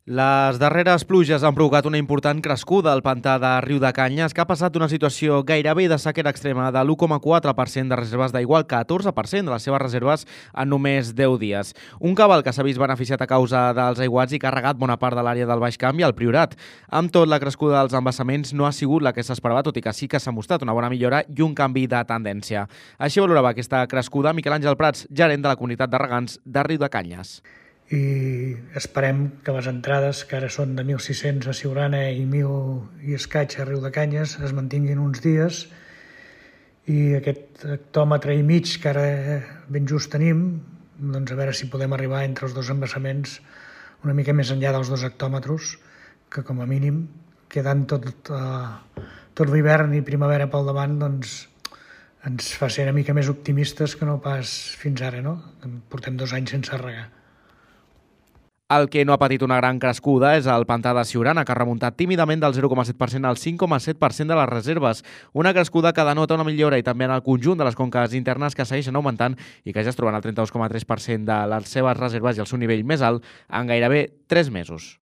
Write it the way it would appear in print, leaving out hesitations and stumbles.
Les darreres pluges han provocat una important crescuda al pantà de Riudecanyes, que ha passat d'una situació gairebé de sequera extrema de l'1,4% de reserves d'aigua al 14% de les seves reserves en només 10 dies. Un cabal que s'ha vist beneficiat a causa dels aiguats i que ha regat bona part de l'àrea del Baix Camp i el Priorat. Amb tot, la crescuda dels embassaments no ha sigut la que s'esperava, tot i que sí que s'ha mostrat una bona millora i un canvi de tendència. Així valorava aquesta crescuda Miquel Àngel Prats, gerent de la comunitat de regants de Riudecanyes. I esperem que les entrades, que ara són de 1.600 a Siurana i 1.000 i escaig a Riudecanyes, es mantinguin uns dies i aquest hectòmetre i mig que ara ben just tenim, doncs a veure si podem arribar entre els dos embassaments una mica més enllà dels 2 hectòmetres, que com a mínim, quedant tot l'hivern i primavera pel davant, doncs ens fa ser una mica més optimistes que no pas fins ara, no? Portem 2 anys sense regar. El que no ha patit una gran crescuda és el pantà de Siurana, que ha remuntat tímidament del 0,7% al 5,7% de les reserves. Una crescuda que denota una millora i també en el conjunt de les conques internes que segueixen augmentant i que ja es troben al 32,3% de les seves reserves i el seu nivell més alt en gairebé 3 mesos.